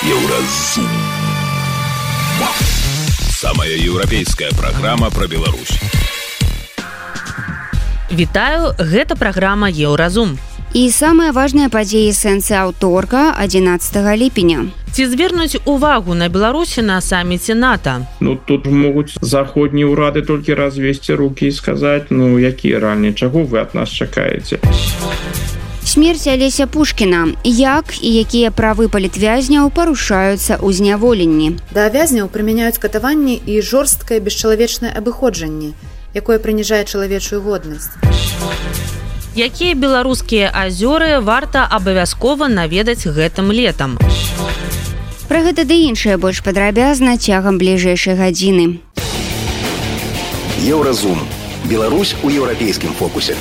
Еўразум. Самая еўрапейская праграма пра Беларусь. Вітаю, гэта праграма Еўразум. І самыя важныя падзеі сэнсы аўторка 11 ліпеня. Ці звернуць увагу на Беларусі на саміце НАТО? Тут могуць заходнія ўрады толькі развесці рукі і сказаць, якія ранні, чаго вы ад нас чакаеце? Смерць Алеся Пушкіна. Як і якія правы палітвязняў парушаюцца ў зняволенні? Да вязняў прымяняюць катаванні і жорсткае бесчалавечнае абыходжанне, якое прыніжае чалавечую годнасць. Якія беларускія азёры варта абавязкова наведаць гэтым летам? Пра гэта ды іншае больш падрабязна цягам бліжэйшай гадзіны. Еўразум. Беларусь у еўрапейскім фокусе.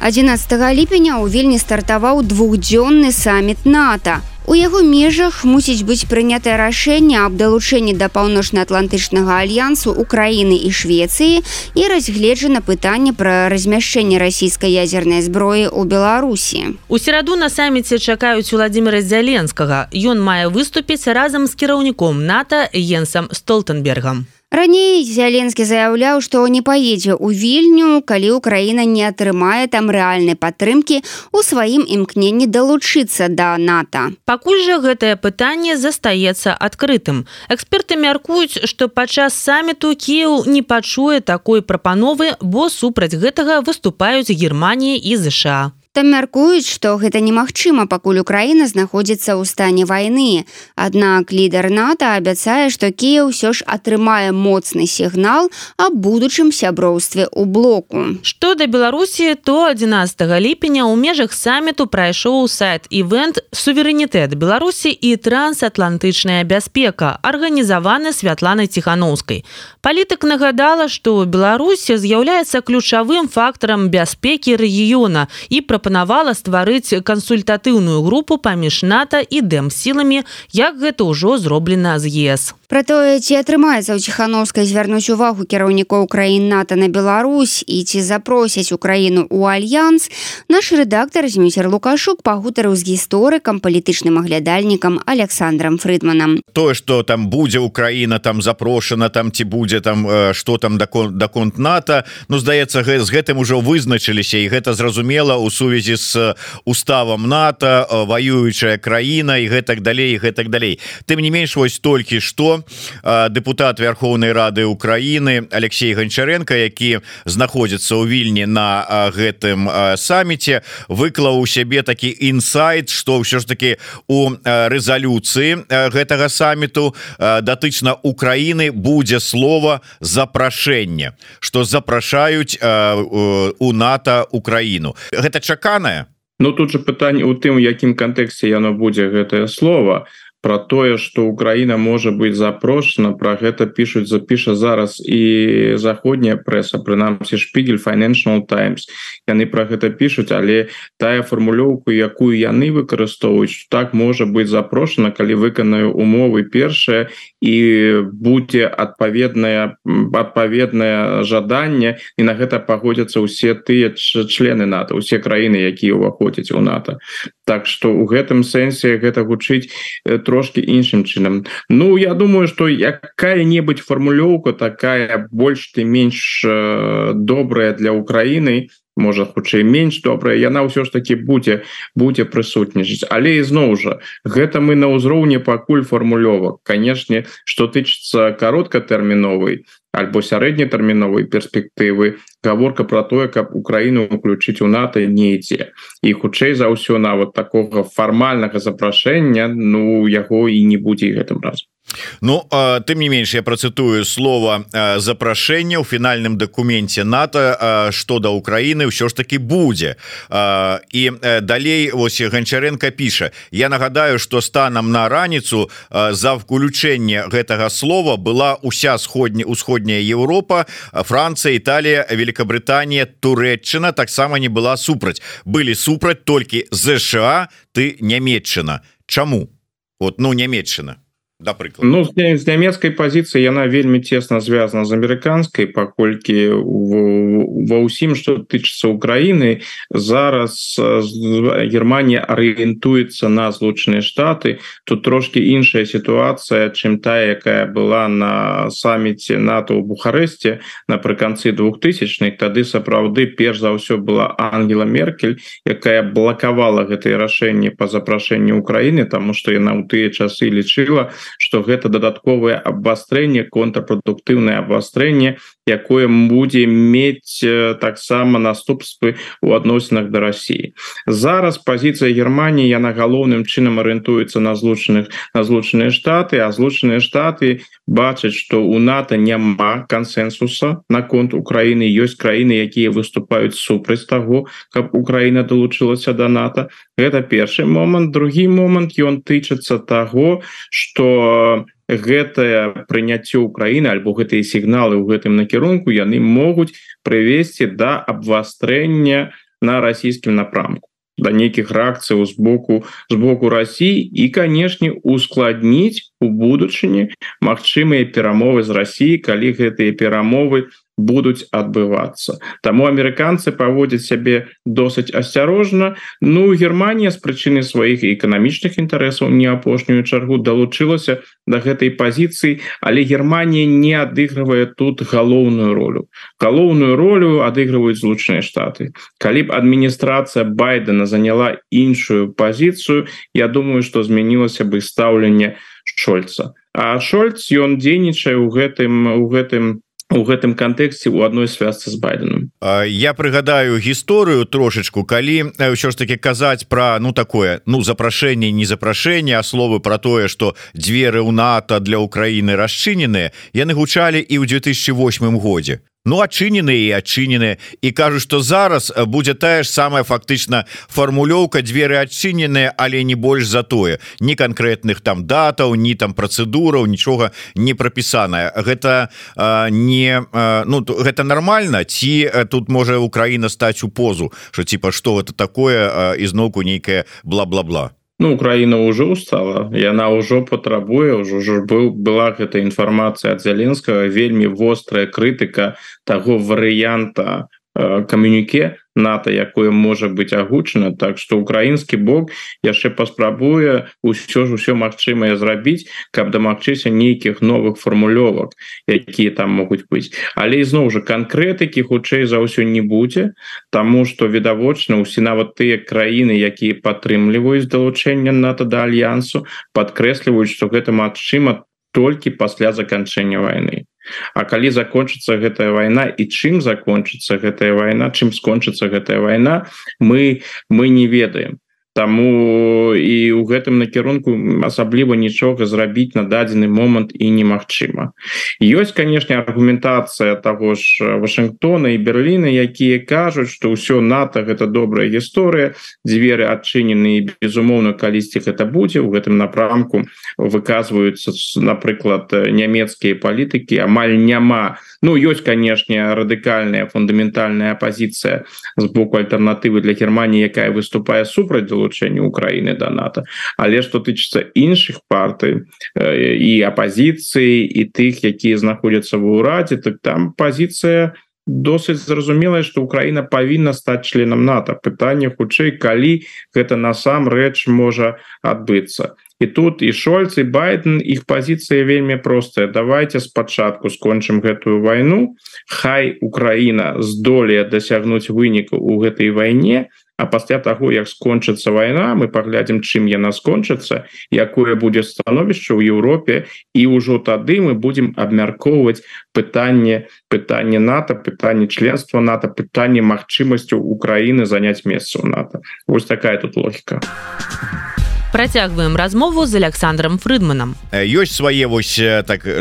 11 ліпеня ў Вільні стартаваў двухдзённы саміт НАТО. У яго межах мусіць быць прынятае рашэнне аб далучэнні да паўночна-атлантычнага альянсу Украіны і Швецыі і разгледжана пытанне пра размяшчэнне расійскай ядзернай зброі ў Беларусі. У сераду на саміце чакаюць Уладзіміра Зяленскага. Ён мае выступіць разам з кіраўніком НАТО Йенсам Столтенбергам. Раней Зяленскі заяўляў, што не паедзе ў Вільню, калі Украіна не атрымае там рэальнай падтрымкі ў сваім імкненні далучыцца да НАТО. Пакуль жа гэтае пытанне застаецца адкрытым. Эксперты мяркуюць, што падчас саміту Кіеў не пачуе такой прапановы, бо супраць гэтага выступаюць Германія і ЗША. Там мяркуюць, што гэта немагчыма, пакуль Украіна знаходзіцца ў стане вайны. Аднак лідар НАТО абяцае, што Кіеў усё ж атрымае моцны сігнал аб будучым сяброўстве ў блоку. Што да Беларусі, то 11 ліпеня ў межах саміту прайшоў сайт-івент «Суверэнітэт Беларусі і трансатлантычная бяспека», арганізаваны Святланай Ціханаўскай. Палітык нагадала, што Беларусь з'яўляецца ключавым фактарам бяспекі рэгіёна і прапанавала стварыць кансультатыўную групу паміж НАТО і дэмсіламі, як гэта ўжо зроблена з ЕС. Пра тое, ці атрымаецца ў Ціханаўскай звярнуць увагу кіраўнікоў краін НАТО на Беларусь і ці запросяць Украіну ў альянс, наш рэдактар Зміцер Лукашук пагутарыў з гісторыкам, палітычным аглядальнікам Александрам Фрыдманам. Тое, што там будзе Украіна там запрошана, там ці будзе там што там даконт НАТО, здаецца, з гэтым ужо вызначыліся, і гэта зразумела ў сувязі з уставам НАТО, ваюючая краіна і гэтак далей, і гэтак далей. Тым не менш, вось толькі што дэпутат Верховнай Рады Украіны Алексей Гончаренко, які знаходзіцца ў Вільні на гэтым саміце, выклаў у сябе такі інсайт, што ўсё ж таки у рэзалюцыі гэтага саміту датычна Украіны будзе слова запрашэнне, што запрашаюць у НАТО Украіну. Гэта чаканае? Тут же пытанне ў тым, у якім кантэксце яно будзе гэтае слово. Про тое, што Украіна можа быць запрошана, пра гэта запіша зараз і заходняя прэса, прынамсі Шпігель, Financial Times. Яны пра гэта пішуць, але тая фармулёўку, якую яны выкарыстоўваюць, так можа быць запрошана, калі выканаю умовы першае і будзе адпаведнае жаданне, і на гэта пагодзяцца ўсе тыя члены НАТО, усе краіны, якія ўваходзяць у НАТО. Так што ў гэтым сэнсе гэта гучыць трошки іншым чынам. Я думаю, што якая-небудзь фармулёўка такая больш ці менш добрая для Украіны, можа, хутчэй менш добрая, яна ўсё ж таки будзе прысутнічаць. Але ізноў жа, гэта мы на ўзроўні пакуль фармулёвак. Канешне, што тычыцца кароткатэрміновай альбо сярэднетэрміновай перспектывы, гаворка пра тое, каб Украіну уключыць у НАТО, не ідзе. І хутчэй за ўсё нават такога фармальнага запрашэння, яго і не будзе гэтым разам. Тым не менш, я працытую слова запрашэння ў фінальным дакуменце НАТО, што да Украіны ўсё ж таки будзе. І далей вось Гончаренко піша: я нагадаю, што станам на раніцу за включэнне гэтага слова была ўся усходняя Еўропа, Францыя, Італія, Великабрытанія, Турэччына таксама не была супраць. Былі супраць толькі ЗША, ты Нямецчына. Чаму? Нямецчына. да прыклад. Ну з нямецкай пазіцыі яна вельмі цесна звязана з амерыканскай, паколькі ва ўсім, што тычыцца Украіны, зараз Германія арыентуецца на Злучаныя Штаты. Тут трошки іншая сітуацыя, чым тая, якая была на саміце НАТО ў Бухарэсце напрыканцы 2000-х. Тады сапраўды перш за ўсё была Ангела Меркель, якая блакавала гэтае рашэнне па запрашэнню Украіны, таму што яна ў тыя часы лічыла, что гэта дадатковае абвастрэнне, контрпрадуктыўнае абвастрэнне, якое будзе мець таксама наступствы ў адносінах да России. Зараз пазіцыя Германії, яна галоўным чынам арыентуецца на Злучаныя Штаты, а Злучаныя Штаты бачаць, што у НАТО няма кансенсуса наконт Украіны. Ёсць краіны, якія выступаюць супраць таго, каб Украіна далучылася да НАТО. Гэта першы момант. Другі момант, ён тычыцца таго, што гэтае прыняцце Украіны альбо гэтыя сігналы ў гэтым накірунку яны могуць прывесці да абвастрэння на расійскім напрамку, да нейкіх рэакцыяў з боку России і, канешне, ускладніць у будучыні магчымыя перамовы з Россией, калі гэтыя перамовы будуць адбывацца. Таму амерыканцы паводзяць сябе досыць асцярожна. Ну, Германія з прычыны сваіх эканамічных інтарэсаў не апошнюю чаргу далучылася да гэтай пазіцыі, але Германія не адыгрывае тут галоўную ролю. Галоўную ролю адыгрываюць Злучаныя Штаты. Калі б адміністрацыя Байдена заняла іншую пазіцыю, я думаю, што змянілася бы стаўленне Шольца. А Шольц, ён дзейнічае ў гэтым кантэксце ў адной звязцы з Байденом. Я прыгадаю гісторыю трошечку, калі ўсё ж таки казаць пра такое запрашэнне, не запрашэнне, а словы пра тое, што дзверы ў НАТО для Украіны расчыненыя, яны гучалі і ў 2008 годзе. Адчынены і кажуць, што зараз будзе тая ж самая фактычна фармулёўка, дзверы адчыненыя, але не больш за тое. Ні канкрэтных там датаў, ні там працэдураў, нічога не прапісанае. Гэта гэта нармальна, ці тут можа Украіна стаць у позу, што што гэта такое, ізноўку нейкае бла-бла-бла. Украіна ўжо устала, яна ўжо патрабуе, была гэта інфармацыя ад Зеленскага, вельмі вострая крытыка таго варыянта камюніке НАТО, якое можа быць агучана. Так што украінскі бок яшчэ паспрабуе ўсё магчымае зрабіць, каб дамагчыся нейкіх новых фармулёвак, якія там могуць быць. Але ізноў жа канкрэтыкі хутчэй за ўсё не будзе, таму што відавочна ўсе нават тыя краіны, якія падтрымліваюць далучэнне НАТО да альянсу, падкрэсліваюць, што гэта магчыма толькі пасля заканчэння вайны. А калі закончыцца гэтая вайна і чым закончыцца гэтая вайна, чым скончыцца гэтая вайна, мы не ведаем. Таму і ў гэтым накірунку асабліва нічога зрабіць на дадзены момант і немагчыма. Ёсць, канешне, аргументацыя таго ж Вашынгтона і Берліна, якія кажуць, што ўсё НАТО гэта добрая гісторыя, дзверы адчынены і, безумоўна, калісьці гэта будзе. У гэтым напрамку выказваюцца, напрыклад, нямецкія палітыкі, амаль няма. Ёсць, канешне, радыкальная фундаментальная апазіцыя з боку альтэрнатывы для Германії, якая выступае супраць далучэння Украіны да НАТО. Але што тычыцца іншых партый і апазіцыі, і тых, якія знаходзяцца ва ўрадзе, так там пазіцыя досыць зразумелая, што Украіна павінна стаць членам НАТО. Пытанне хутчэй, калі гэта насамрэч можа адбыцца. І тут і Шольц, і Байден, іх пазіцыя вельмі простая. Давайте спачатку скончым гэтую вайну, хай Украіна здолее дасягнуць вынікаў у гэтай вайне, а пасля таго, як скончыцца вайна, мы паглядзім, чым яна скончыцца, якое будзе становішча ў Еўропе, і ўжо тады мы будзем абмяркоўваць пытанне НАТО, пытанне членства НАТО, пытанне магчымасцю Украіны заняць месца ў НАТО. Вось такая тут логіка. Працягваем размову з Александром Фрыдманам. Ёсць свае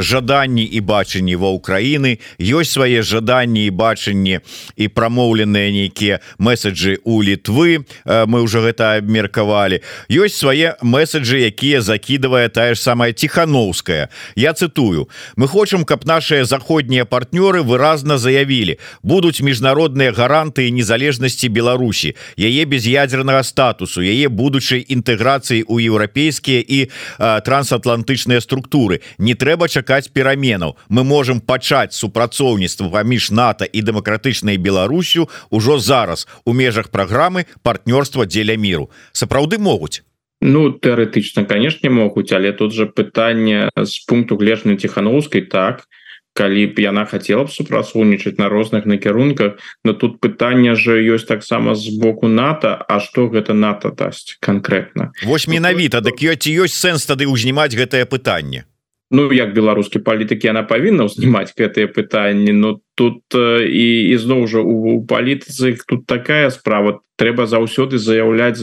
жаданні і бачанні ва Украіны, ёсць свае жаданні і бачанні і прамоўленыя нейкія месаджы ў Літвы, мы ўжо гэта абмеркавалі. Ёсць свае месаджы, якія закідвае тая ж самая Тихановская. Я цытую: «Мы хочам, каб нашыя заходнія партнёры выразна заявілі: будуць міжнародныя гарантыі незалежнасці Беларусі, яе без'ядзернага статусу, яе будучай інтэграцыі інвестыцый у еўрапейскія і трансатлантычныя структуры. Не трэба чакаць пераменаў. Мы можем пачаць супрацоўніцтва паміж НАТО і дэмакратычнай Беларусю ўжо зараз у межах праграмы партнёрства дзеля міру. Сапраўды могуць? Ну, тэарэтычна, канешне, могуць, але тут жа пытанне з пункту гледжання Ціханаўскай, так, калі б яна хацела б супрацоўнічаць на розных накірунках, но тут пытанне же ёсць таксама з боку НАТО, а што гэта НАТО дасць канкрэтна? Вось менавіта, дык ці ёсць сэнс тады ўзнімаць гэтае пытанне? Ну, як беларускі палітык, яна павінна ўзнімаць гэтыя пытанні, но тут і зноў жа у палітыцы тут такая справа, трэба заўсёды заяўляць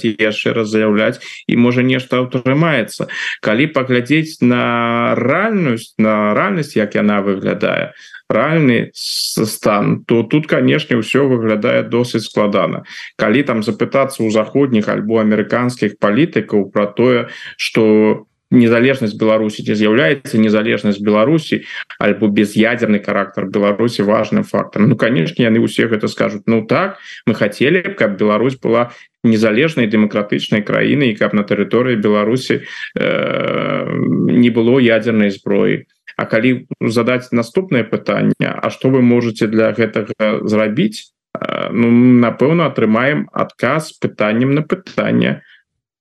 і яшчэ раз заяўляць, і можа нешта атрымаецца. Калі паглядзець на рэальнасць, як яна выглядае, рэальны стан, то тут, канешне, ўсё выглядае досыць складана. Калі там запытацца ў заходніх альбо амерыканскіх палітыкаў пра тое, што незалежнасць Беларусі, ці з'яўляецца незалежнасць Беларусі альбо без'ядерны характар Беларусі важным фактарам. Ну, канешне, яны ўсе гэта скажуць. Ну так, мы хацелі, каб Беларусь была незалежнай дэмакратычнай краінай, і каб на тэрыторыі Беларусі не было ядзернай зброі. А калі задаць наступнае пытанне, а што вы можаце для гэтага зрабіць? Ну, напэўна, атрымаем адказ пытаннем на пытанне.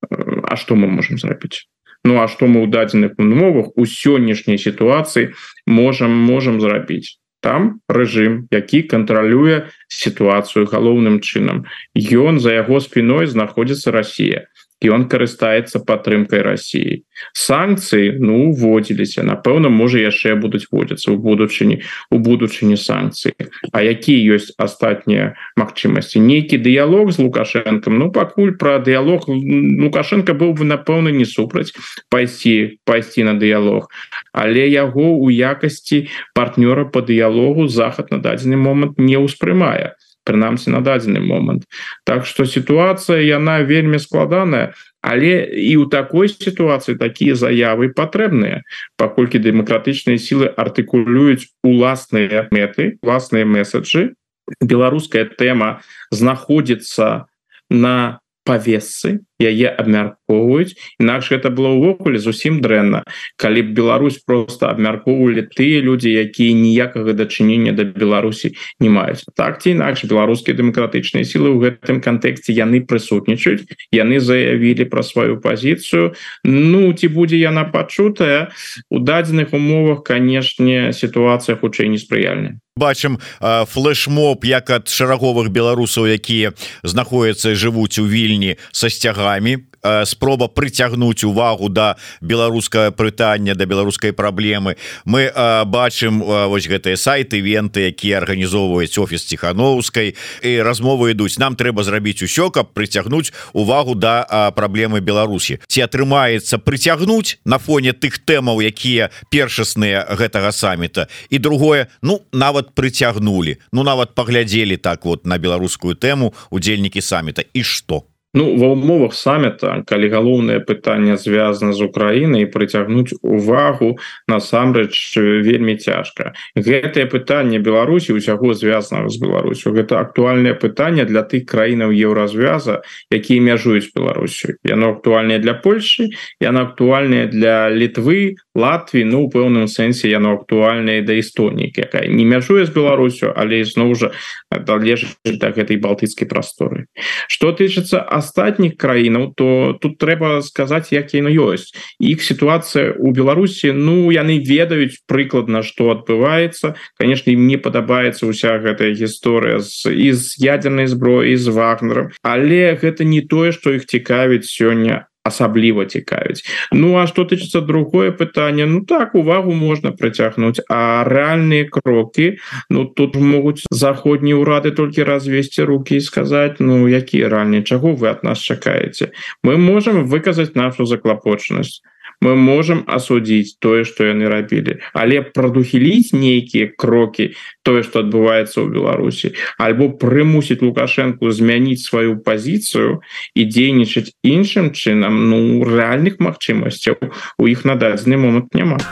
А што мы можам зрабіць? Ну, а што мы ў дадзеных умовах у сённяшняй сітуацыі можам зрабіць? Там рэжым, які кантралюе сітуацыю галоўным чынам. Ён за яго спіной знаходзіцца Расія. І он карыстаецца падтрымкай Расіі. Санкцыі, ну, вводзіліся. Напэўна, можа, яшчэ будуць вводзіцца у будучыні санкцыі. А якія ёсць астатнія магчымасці? Нейкі дыялог з Лукашэнкам? Ну, пакуль пра дыялог Лукашенко быў бы, напэўна, не супраць пайсці на дыялог. Але яго ў якасці партнёра па дыялогу Захад на дадзены момант не ўспрымае. Прынамсі на дадзены момант. Так што сітуацыя, яна вельмі складаная, але і ў такой сітуацыі такія заявы патрэбныя, паколькі дэмакратычныя сілы артыкулююць уласныя мэты, уласныя месаджы. Беларуская тэма знаходзіцца на павесцы, яе абмяркоўваюць, інакш гэта было ўвогуле зусім дрэнна, калі б Беларусь просто абмяркоўвалі тыя людзі, якія ніякага дачынення да Беларусі не маюць. Так ці інакш беларускія дэмакратычныя сілы ў гэтым кантэксце яны прысутнічаюць, яны заявілі пра сваю пазіцыю. Ну, ці будзе яна пачутая? У дадзеных умовах, канешне, сітуацыя хутчэй неспрыяльная. Бачым флешмоб як ад шараговых беларусаў, якія знаходзяцца і жывуць у Вільні са сцягамі, спроба прыцягнуць увагу да беларускага пытання, да беларускай праблемы. Мы бачым вось гэтыя сайты, івенты, якія арганізоўваюць офіс Ціханаўскай, і размовы ідуць. Нам трэба зрабіць усё, каб прыцягнуць увагу да праблемы Беларусі. Ці атрымаецца прыцягнуць на фоне тых тэмаў, якія першасныя гэтага саміта? І другое, ну, нават прыцягнулі, ну, нават паглядзелі так вот на беларускую тэму удзельнікі саміта. І што? Ну, ва ўмовах саміта, калі галоўнае пытанне звязана з Украінай, прыцягнуць увагу насамрэч вельмі цяжка. Гэтае пытанне Беларусі, усяго звязанага з Беларусю, гэта актуальнае пытанне для тых краінаў Еўразвяза, якія мяжуюць Беларусю. Яно актуальнае для Польшы, яно актуальнае для Літвы, Латвіі, ну, у пэўным сэнсе яно актуальнае да Эстоніі, якая не мяжуе з Беларусю, але зноў жа належыць да гэтай балтыцкай прасторы. Што тычыцца астатніх краінаў, то тут трэба сказаць, як яно ёсць. Іх сітуацыя ў Беларусі, ну, яны ведаюць прыкладна, што адбываецца. Канешне, ім не падабаецца ўся гэтая гісторыя і з ядзернай зброі, з Вагнерам, але гэта не тое, што іх цікавіць сёння, асабліва цікавіць. Ну, а што тычыцца другое пытанне, ну так, увагу можна прыцягнуць, а рэальныя крокі, ну, тут могуць заходнія ўрады толькі развесці рукі і сказаць, ну, якія рэальныя, чаго вы ад нас чакаеце? Мы можам выказаць нашу заклапочанасць, мы можам асудзіць тое, што яны рабілі, але прадухіліць нейкія крокі, тое, што адбываецца ў Беларусі, альбо прымусіць Лукашэнку змяніць сваю пазіцыю і дзейнічаць іншым чынам, ну, рэальных магчымасцяў у іх на дадзены момант няма.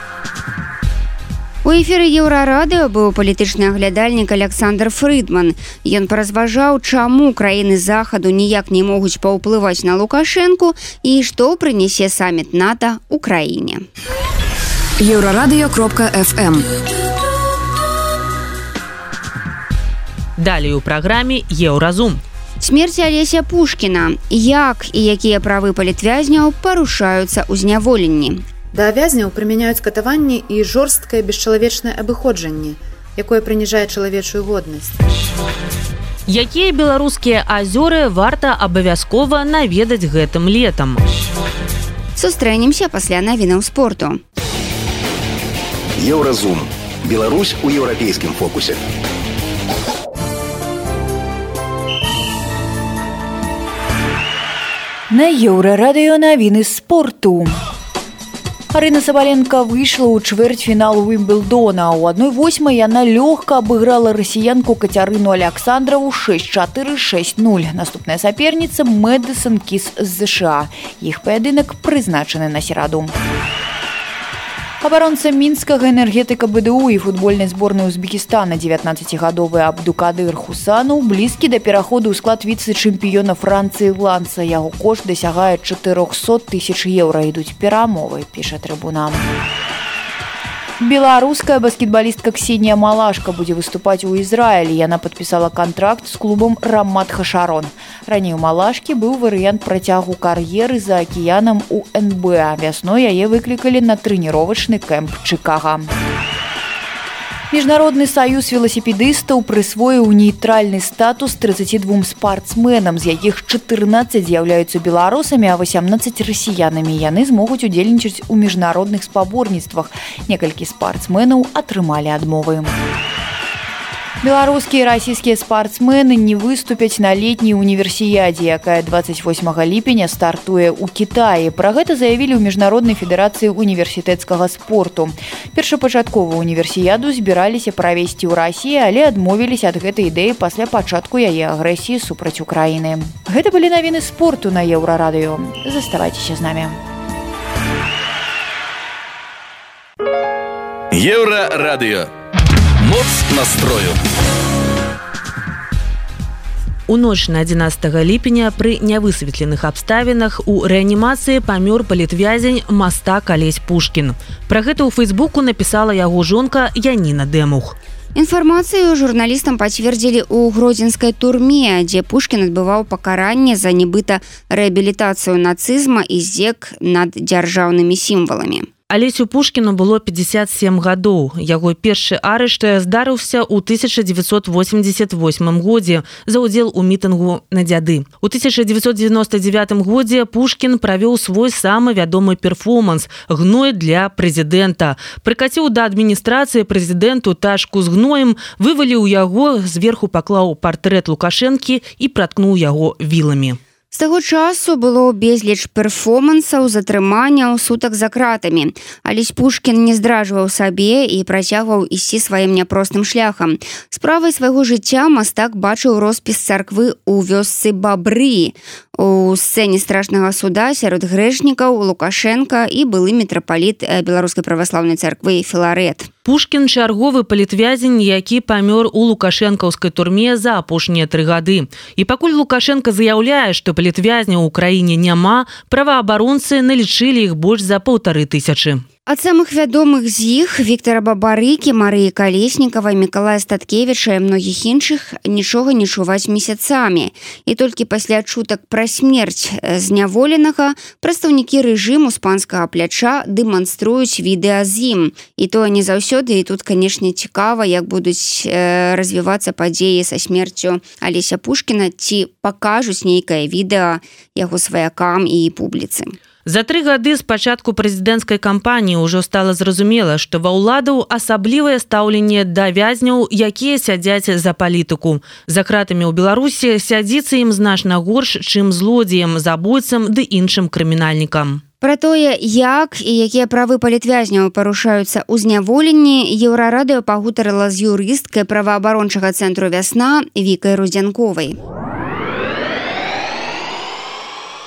У эфіры Еўрарадыё быў палітычны аглядальнік Александр Фрыдман. Ён паразважаў, чаму краіны захаду ніяк не могуць паўплываць на Лукашэнку і што прынясе саміт НАТО Украіне. Еўрарадыё.фм. Далей у праграме Еўразум. Смерць Алеся Пушкіна. Як і якія правы палітвязняў парушаюцца ў зняволенні? Да вязняў прымяняюць катаванні і жорсткае бесчалавечнае абыходжанне, якое прыніжае чалавечую годнасць. Якія беларускія азёры варта абавязкова наведаць гэтым летам? Сустрэнемся пасля навінаў спорту. Еўразум. Беларусь у еўрапейскім фокусе. На Еўрарадыё навіны спорту. Арына Сабаленко выйшла ў чвэрцьфінал Уімблдона. У 1/8 яна лёгка абыграла расіянку Кацярыну Александрову 6-4, 6-0. Наступная саперніца Мэдысон Кіс з США. Іх паядынак прызначаны на сераду. Абаронца мінскага энергетыка БДУ і футбольнай зборнай Узбекістана 19-гадовы Абдукадыр Хусанов блізкі да пераходу ў склад віцэ-чэмпіёна Францыі Ланса. Яго кошт дасягае 400 тысяч еўра. Ідуць перамовы, піша Трыбуна. Беларуская баскетбалістка Ксенія Малашка будзе выступаць у Ізраілі. Яна падпісала кантракт з клубам Рамат Хашарон. Раней у Малашкі быў варыянт працягу кар'еры за акіянам у НБА. Вясной яе выклікалі на трэніровачны кэмп Чыкага. Міжнародны саюз веласіпедыстаў прысвоіў нейтральны статус 32 спартсменам, з якіх 14 з'яўляюцца беларусамі, а 18 расіянамі. Яны змогуць удзельнічаць у міжнародных спаборніцтвах. Некалькі спартсменаў атрымалі адмовы. Беларускія і расійскія спартсмены не выступяць на летняй універсіядзе, якая 28 ліпеня стартуе ў Кітаі. Пра гэта заявілі ў Міжнароднай федэрацыі універсітэцкага спорту. Першапачаткова універсіяду збіраліся правесці ў Расіі, але адмовіліся ад гэтай ідэі пасля пачатку яе агрэсіі супраць Украіны. Гэта былі навіны спорту на Еўрарадыё. Заставайцеся з намі. Еўрарадыё. Моц настрою. У ноч на 11 ліпеня пры нявысветленых абставінах у рэанімацыі памёр палітвязень мастак Алесь Пушкін. Пра гэта ў Фейсбуку напісала яго жонка Яніна Дэмух. Інфармацыю журналістам пацвердзілі ў гродзенскай турме, дзе Пушкін адбываў пакаранне за нібыта рэабілітацыю нацызма і здзек над дзяржаўнымі сімваламі. Алесю Пушкіну было 57 гадоў. Яго першы арышт здарыўся ў 1988 годзе за ўдзел у мітынгу на дзяды. У 1999 годзе Пушкін правёў свой самы вядомы перформанс «Гной для прэзідэнта». Прыкаціў да адміністрацыі прэзідэнту тачку з гноем, вываліў яго, зверху паклаў партрэт Лукашэнкі і праткнуў яго віламі. З таго часу было безліч перформансаў, затрыманняў, сутак за кратамі. Алесь Пушкін не здражваў сабе і працягваў ісці сваім няпростым шляхам. Справай свайго жыцця мастак бачыў роспіс царквы ў вёсцы Бабры. У сцэне страшнага суда сярод грэшнікаў Лукашенка і былы мітрапаліт Беларускай праваслаўнай царквы Філарэт. Пушкін чарговы палітвязень, які памёр у лукашэнкаўскай турме за апошнія 3 гады. І пакуль Лукашенка заяўляе, што палітвязняў у краіне няма, праваабаронцы налічылі іх больш за 1500. Ад самых вядомых з іх Віктара Бабарыкі, Марыі Калеснікавай, Мікалая Статкевіча і многіх іншых нічога не чуваць месяцамі. І толькі пасля чутак пра смерць зняволенага прадстаўнікі рэжыму з панскага пляча дэманструюць відэа з ім. І тое не заўсёды, і тут, канешне, цікава, як будуць развівацца падзеі са смерцю Алеся Пушкіна, ці пакажуць нейкае відэа яго сваякам і публіцы. За 3 гады з пачатку прэзідэнцкай кампаніі ўжо стала зразумела, што ва ўладаў асаблівае стаўленне да вязняў, якія сядзяць за палітыку. За кратамі ў Беларусі сядзіцца ім значна горш, чым злодзеям, забойцам ды іншым крымінальнікам. Пра тое, як і якія правы палітвязняў парушаюцца ў зняволенні, Еўрарадыё пагутарыла з юрысткай праваабарончага цэнтру «Вясна» Вікай Рудзянковай.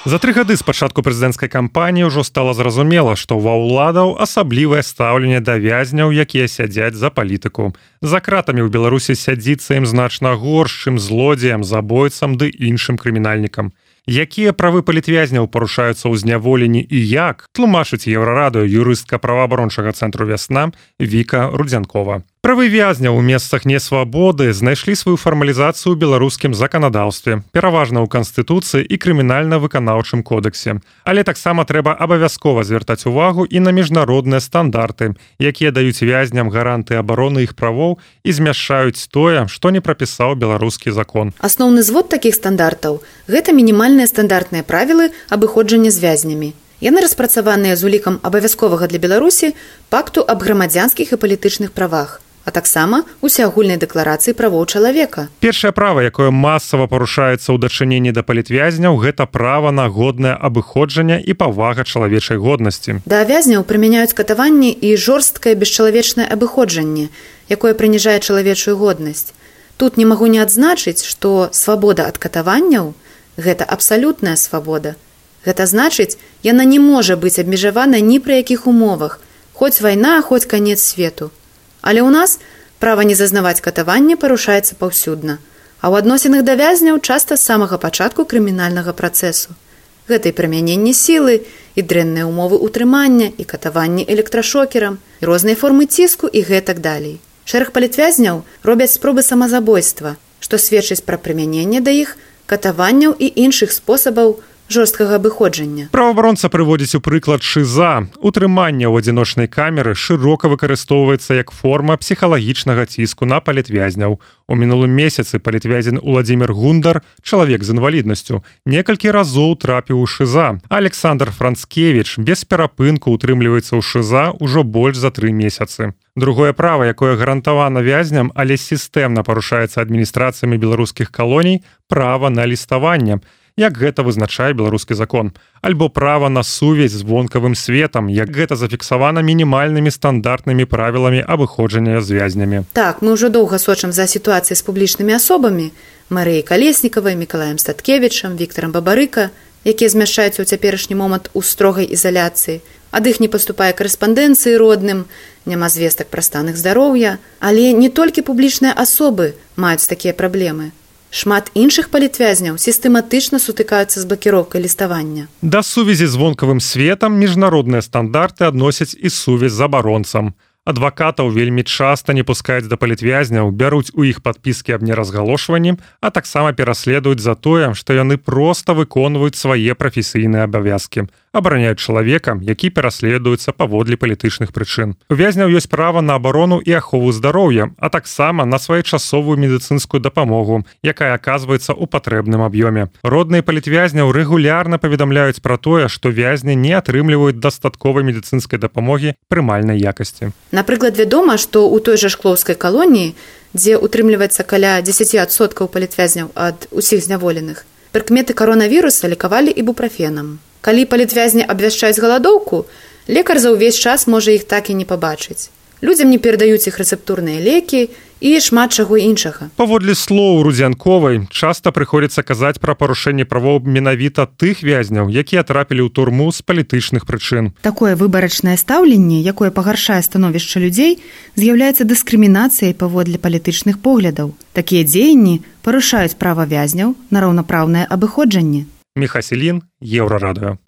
За 3 гады з пачатку прэзідэнцкай кампаніі ўжо стала зразумела, што ва ўладаў асаблівае стаўленне да вязняў, якія сядзяць за палітыку. За кратамі ў Беларусі сядзіцца ім значна горш, чым злодзеям, забойцам ды іншым крымінальнікам. Якія правы палітвязняў парушаюцца ў зняволенні і як, тлумачыць Еўрарадыё юрыстка праваабарончага цэнтру «Вясна» Віка Рудзянкова. Правы вязняў у месцах несвабоды знайшлі сваю фармалізацыю ў беларускім заканадаўстве, пераважна ў Канстытуцыі і крымінальна-выканаўчым кодексе. Але таксама трэба абавязкова звяртаць увагу і на міжнародныя стандарты, якія даюць вязням гаранты абароны іх правоў і змяшаюць тое, што не прапісаў беларускі закон. Асноўны звод такіх стандартаў – гэта мінімальныя стандартныя правілы абыходжання з вязнямі. Яны распрацаваныя з улікам абавязковага для Беларусі пакту аб грамадзянскіх і палітычных правах, а таксама усеагульнай дэкларацыі правоў чалавека. Першае права, якое масава парушаецца ў дачыненні да палітвязняў, гэта права на годнае абыходжанне і павага чалавечай годнасці. Да вязняў прымяняюць катаванні і жорсткае бесчалавечнае абыходжанне, якое прыніжае чалавечую годнасць. Тут не магу не адзначыць, што свабода ад катаванняў – гэта абсалютная свабода. Гэта значыць, яна не можа быць абмежавана ні пры якіх умовах, хоць вайна, хоць канец свету. Але ў нас права не зазнаваць катавання парушаецца паўсюдна, а ў адносінах да вязняў часта з самага пачатку крымінальнага працэсу. Гэта і прымяненне сілы, і дрэнныя умовы ўтрымання, і катаванні электрашокерам, і розныя формы ціску і гэтак далей. Шэраг палітвязняў робяць спробы самазабойства, што сведчыць пра прымяненне да іх катаванняў і іншых спосабаў жорсткага абыходжання. Праваабаронца прыводзіць у прыклад шыза. Утрыманне ў адзіночнай камеры шырока выкарыстоўваецца як форма псіхалагічнага ціску на палітвязняў. У мінулым месяцы палітвязень Уладзімір Гундар, чалавек з інваліднасцю, некалькі разоў трапіў у шыза. Александр Францкевіч без перапынку утрымліваецца ў шыза ўжо больш за 3 месяцы. Другое права, якое гарантавана вязням, але сістэмна парушаецца адміністрацыямі беларускіх калоній, права на ліставанне, як гэта вызначае беларускі закон, альбо права на сувязь з вонкавым светам, як гэта зафіксавана мінімальнымі стандартнымі правіламі абыходжання з вязнямі. Так, мы ўжо доўга сочым за сітуацыяй з публічнымі асобамі, Марыяй Калеснікавай, Мікалаем Статкевічам, Віктарам Бабарыка, якія змяшчаюцца ў цяперашні момант у строгай ізаляцыі. Ад іх не паступае карэспандэнцыі родным, няма звестак пра стан іх здароўя, але не толькі публічныя асобы маюць такія праблемы. Шмат іншых палітвязняў сістэматычна сутыкаюцца з блакіроўкай ліставання. Да сувязі з вонкавым светам міжнародныя стандарты адносяць і сувязь з абаронцам. Адвакатаў вельмі часта не пускаюць да палітвязняў, бяруць у іх падпіскі аб неразгалошванні, а таксама пераследуюць за тое, што яны проста выконваюць свае прафесійныя абавязкі, абараняюць чалавека, які пераследуецца паводле палітычных прычын. У вязняў ёсць права на абарону і ахову здароўя, а таксама на своечасовую медыцынскую дапамогу, якая аказваецца ў патрэбным аб'ёме. Родныя палітвязняў рэгулярна паведамляюць пра тое, што вязні не атрымліваюць дастатковай медыцынскай дапамогі прымальнай якасці. Напрыклад, вядома, што ў той жа шклоўскай калоніі, дзе утрымліваецца каля 10% палітвязняў ад усіх зняволеных, прыкметы каронавіруса лікавалі ібуправенам. Калі палітвязні абвяшчаюць галадоўку, лекар за ўвесь час можа іх так і не пабачыць. Людзям не перадаюць іх рэцэптурныя лекі і шмат чаго іншага. Паводле слоў Рудзянковай, часта прыходзіцца казаць пра парушэнне правоў менавіта тых вязняў, якія трапілі ў турму з палітычных прычын. Такое выбарачнае стаўленне, якое пагаршае становішча людзей, з'яўляецца дыскрымінацыяй паводле палітычных поглядаў. Такія дзеянні парушаюць права вязняў на раўнапраўнае абыходжанне. Міха Селін, Еўрарадыё.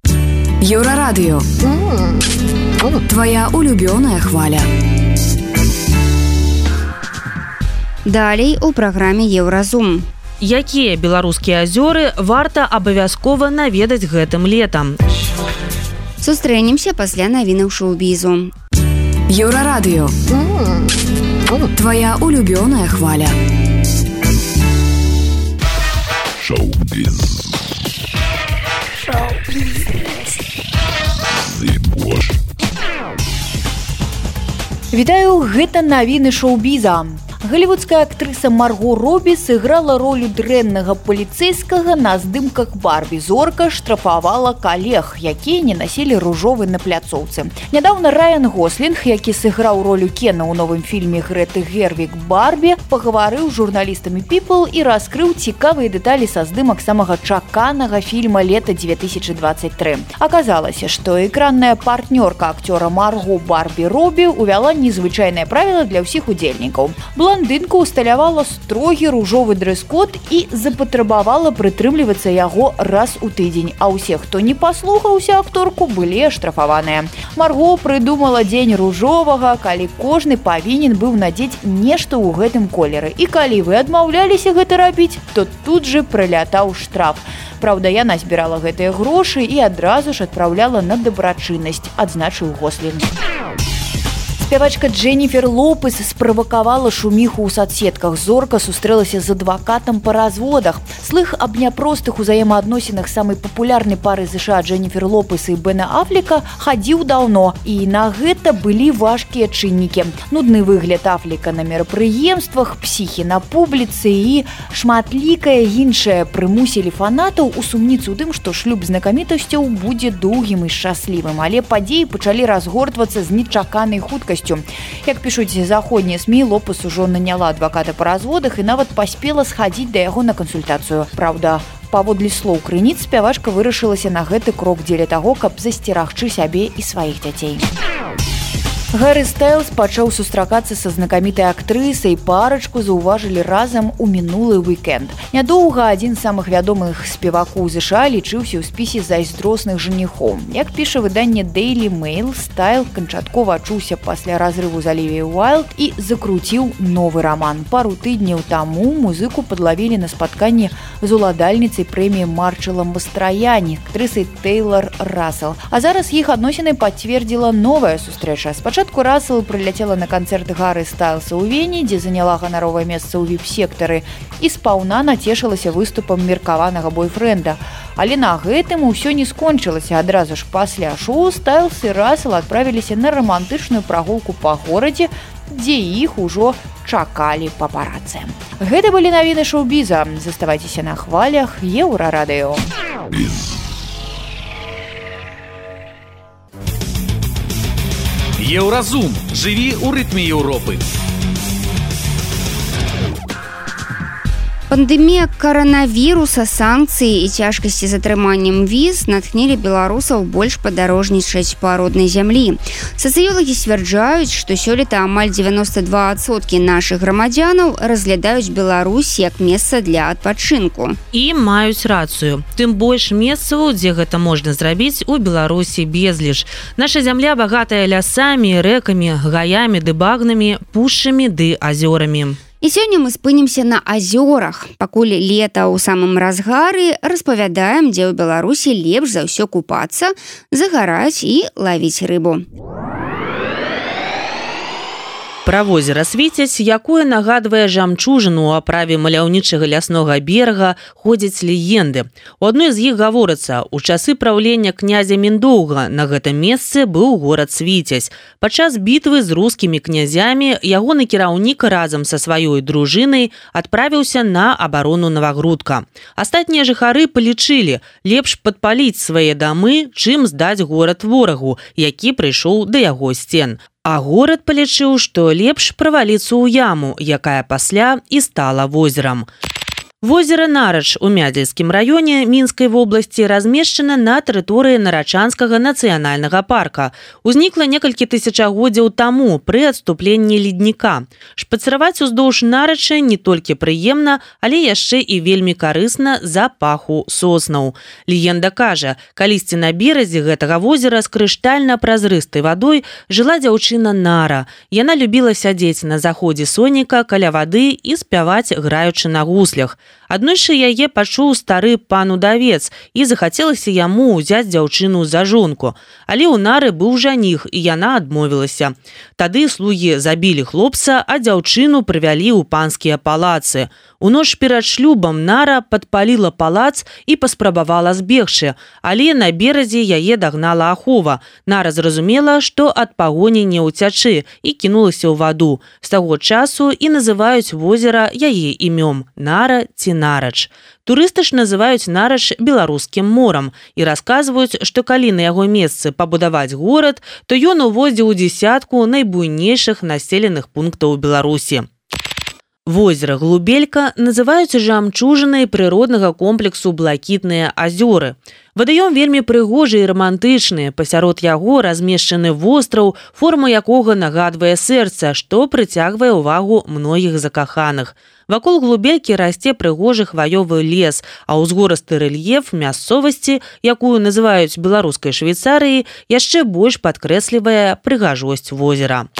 Еўрарадыё. Твоя улюбёная хваля. Далей у праграме Еўразум. Якія беларускія азёры варта абавязкова наведаць гэтым летам? Сустрэнемся пасля навінаў шоу-бізу. Еўрарадыё. Твоя улюбёная хваля. Шоу-біз. Вітаю, гэта навіны шоу-біза. Голливудская актрыса Марго Робі сыграла ролю дрэннага паліцейскага на здымках Барбі. Зорка штрафавала калег, якія не насілі ружовы на пляцоўцы. Нядаўна Райан Гослінг, які сыграў ролю Кена ў новым фільме Грэты Гервіг «Барбі», пагаварыў з журналістамі People і раскрыў цікавыя дэталі са здымак самага чаканага фільма лета 2023. Аказалася, што экранная партнёрка акцёра Марго Барбі Робі увяла незвычайнае правіла для ўсіх удзельнікаў. Блондынка усталявала строгі ружовы дрэс-код і запатрабавала прытрымлівацца яго раз у тыдзень, а ўсе, хто не паслухаўся акторку, былі аштрафаваныя. Марго прыдумала дзень ружовага, калі кожны павінен быў надзець нешта ў гэтым колеры. І калі вы адмаўляліся гэта рабіць, то тут же прылятаў штраф. Праўда, яна збірала гэтыя грошы і адразу ж адпраўляла на дабрачыннасць, адзначыў Гослінг. Спявачка Дженніфер Лопес справакавала шуміху ў садсетках. Зорка сустрэлася з адвакатам па разводах. Слых аб няпростых узаемаадносінах самай папулярнай пары США Дженніфер Лопес і Бена Афлека хадзіў даўно, і на гэта былі важкія чыннікі. Нудны выгляд Афлека на мерапрыемствах, псіхі на публіцы і шматлікае іншае прымусілі фанатаў усумніцца ў тым, што шлюб знакамітасцяў будзе доўгім і шчаслівым. Але падзеі пачалі разгортвацца з нечаканай хуткасцю. Як пішуць заходнія СМІ, Лопес ужо наняла адваката па разводах і нават паспела схадзіць да яго на кансультацыю. Праўда, паводле слоў крыніц, спявачка вырашылася на гэты крок дзеля таго, каб засцерагчы сябе і сваіх дзяцей. Гаррі Стайлз пачаў сустракацца са знакамітай актрысай, парачку заўважылі разам у мінулы уікенд. Нядоўга адзін з самых вядомых спевакоў ЗША лічыўся ў спісе зайздросных жаніхоў. Як піша выданне Daily Mail, Стайл канчаткова адчуўся пасля разрыву з Алівіяй Уайлд і закруціў новы раман. Пару тыдняў таму музыку падлавілі на спатканні з уладальніцай прэміі Марчала Мастраяні, актрысай Тэйлар Рассел. А зараз іх адносіны пацвердзіла новая сустрэча. Спачатку Рассел прыляцела на канцэрт Гаррі Стайлса ў Вене, дзе заняла ганаровае месца ў віп-сектары і спаўна нацешылася выступам меркаванага бойфрэнда. Але на гэтым усё не скончылася. Адразу ж пасля шоу Стайлс і Рассел адправіліся на рамантычную прагулку па горадзе, дзе іх ужо чакалі папарацы. Гэта былі навіны шоу-біза. Заставайцеся на хвалях Еўрарадыё. Еўразум. Жыві ў рытме Еўропы. Пандэмія каранавіруса, санкцыі і цяжкасці з атрыманнем віз натхнілі беларусаў больш падарожнічаць па роднай зямлі. Сацыёлагі сцвярджаюць, што сёлета амаль 92% нашых грамадзянаў разглядаюць Беларусь як месца для адпачынку. І маюць рацыю. Тым больш месцаў, дзе гэта можна зрабіць, у Беларусі безліч. Наша зямля багатая лясамі, рэкамі, гаямі ды багнамі, пушчамі ды азёрамі. І сёння мы спынімся на азёрах. Пакуль лета ў самым разгары, распавядаем, дзе ў Беларусі лепш за ўсё купацца, загараць і лавіць рыбу. Пра возера Свіцяць, якое нагадвае жамчужыну ў аправе маляўнічага ляснога берага, ходзяць легенды. У адной з іх гаворыцца, у часы праўлення князя Міндоўга на гэтым месцы быў горад Свіцяць. Падчас бітвы з рускімі князямі ягоны кіраўнік разам са сваёй дружынай адправіўся на абарону Навагрудка. Астатнія жыхары палічылі, лепш падпаліць свае дамы, чым здаць горад ворагу, які прыйшоў да яго сцен. А горад палічыў, што лепш праваліцца ў яму, якая пасля і стала возерам. Возера Нарач у Мядзельскім раёне Мінскай вобласці размешчана на тэрыторыі Нарачанскага нацыянальнага парка. Узнікла некалькі тысячагоддзяў таму пры адступленні ледніка. Шпацыраваць уздоўж Нарача не толькі прыемна, але яшчэ і вельмі карысна з-за паху соснаў. Легенда кажа, калісьці на беразе гэтага возера з крыштальна-празрыстай вадой жыла дзяўчына Нара. Яна любіла сядзець на заходзе сонейка каля вады і спяваць, граючы на гуслях. Аднойчы яе пачуў стары пан удавец і захацелася яму ўзяць дзяўчыну за жонку. Але ў Нары быў жаніх, і яна адмовілася. Тады слугі забілі хлопца, а дзяўчыну прывялі ў панскія палацы. У ноч перад шлюбам Нара падпаліла палац і паспрабавала збегчы, але на беразе яе дагнала ахова. Нара зразумела, што ад пагоні не ўцячы і кінулася ў ваду. З таго часу і называюць возера яе імём Нара ці Нарач. Турысты ж называюць Нарач беларускім морам і расказваюць, што калі на яго месцы пабудаваць горад, то ён увойдзе ў дзесятку найбуйнейшых населеных пунктаў Беларусі. Возера Глубелька называюць жамчужынай прыроднага комплексу Блакітныя азёры. Вадаём вельмі прыгожы і рамантычны, пасярод яго размешчаны востраў, форма якога нагадвае сэрца, што прыцягвае ўвагу многіх закаханых. Вакол Глубелькі расце прыгожы хваёвы лес, а ўзгорысты рэльеф мясцовасці, якую называюць беларускай Швейцарыяй, яшчэ больш падкрэслівае прыгажосць возера.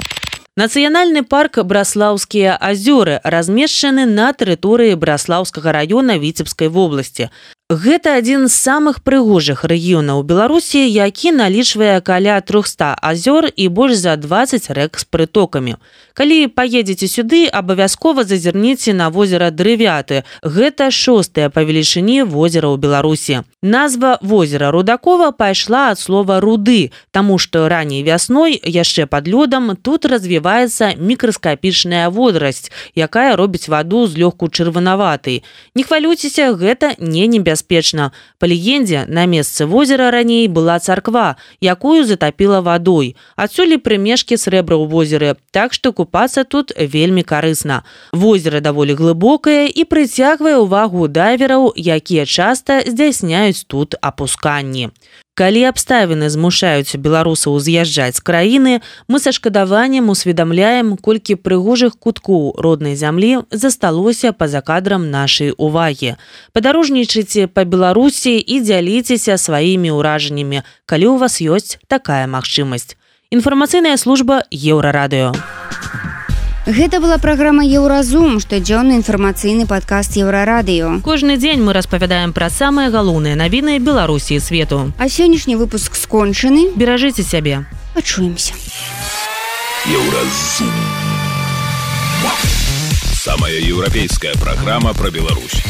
Нацыянальны парк Браслаўскія азёры размешчаны на тэрыторыі Браслаўскага раёна Віцебскай вобласці. Гэта адзін з самых прыгожых рэгіёнаў Беларусі, які налічвае каля 300 азёр і больш за 20 рэк з прытокамі. Калі паедзеце сюды, абавязкова зазірніце на возера Дрывяты. Гэта 6-е па велічыні возера ў Беларусі. Назва возера Рудакова пайшла ад слова «руды», таму што раней вясной, яшчэ пад лёдам, тут развіваецца мікраскапічная водрасць, якая робіць ваду злёгку чырванаватай. Не хвалюйцеся, гэта не небяспечна. Па легендзе, на месцы возера раней была царква, якую затапіла вадой. Адсюль прымешкі срэбра ў возеры, так што купацца тут вельмі карысна. Возера даволі глыбокае і прыцягвае ўвагу дайвераў, якія часта здзяйсняюць тут апусканні. Калі абставіны змушаюць беларусаў з'язджаць з краіны, мы са шкадаваннем усведамляем, колькі прыгожых куткоў роднай зямлі засталося па-за кадрам нашай увагі. Падарожнічайце па Беларусі і дзяліцеся сваімі ўражаннямі, калі ў вас ёсць такая магчымасць. Інфармацыйная служба Еўрарадыё. Гэта была праграма «Еўразум», штодзённы інфармацыйны падкаст Еўрарадыё. Кожны дзень мы распавядаем пра самыя галоўныя навіны Беларусі і свету. А сённяшні выпуск скончаны. Беражыце сябе. Пачуемся. Еўразум. Самая еўрапейская праграма пра Беларусь.